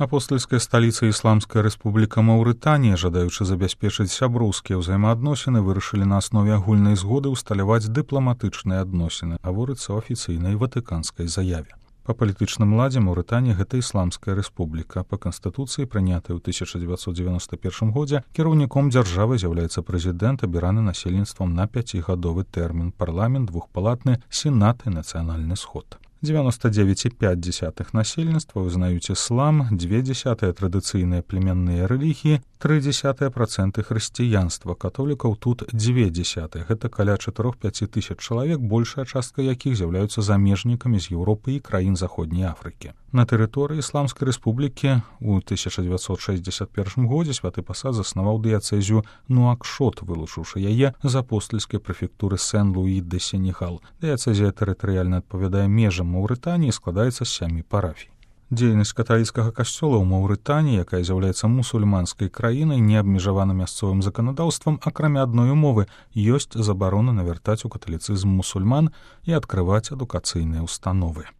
Апостальская сталіца Ісламская рэспубліка Маўрытанія, жадаючы забяспечыць сяброўскія ўзаемаадносіны, вырашылі на аснове агульнай згоды ўсталяваць дыпламатычныя адносіны, гаворыцца ў афіцыйнай ватыканскай заяве. Па палітычным ладзе Маўрытанія гэта Ісламская рэспубліка. Па канстытуцыі, прынятай ў 1991 годзе, кіраўніком дзяржавы з'яўляецца прэзідэнт, абіраны насельніцтвам на 5гадовы тэрмін, парламент двухпалатны, сенат і нацыянальны сход. 99,5% насельніцтва вызнаюць іслам, 0,2% традыцыйныя племянныя рэлігіі, 0,3% хрысціянства, католікаў тут 0,2%. Гэта каля 4-5 тысяч чалавек, большая частка якіх з'яўляюцца замежнікамі з Еўропы і краін Заходняй Афрыкі. На тэрыторыі Ісламскай рэспублікі ў 1961 годзе святы пасад заснаваў дыяцэзію Нуакшот, вылучыўшы яе з апостальскай прэфектуры Сен-Луі-де-Сенегал. Дыяцэзія тэрытарыяльна адпавядае межам Маўрытаніі, складаецца з 7 парафій. Дзейнасць каталіцкага касцёла ў Маўрытаніі, якая з'яўляецца мусульманскай краінай, не абмежавана мясцовым заканадаўствам, акрамя адной умовы — ёсць забарона навяртаць у каталіцызм мусульман і адкрываць адукацыйныя ўстановы.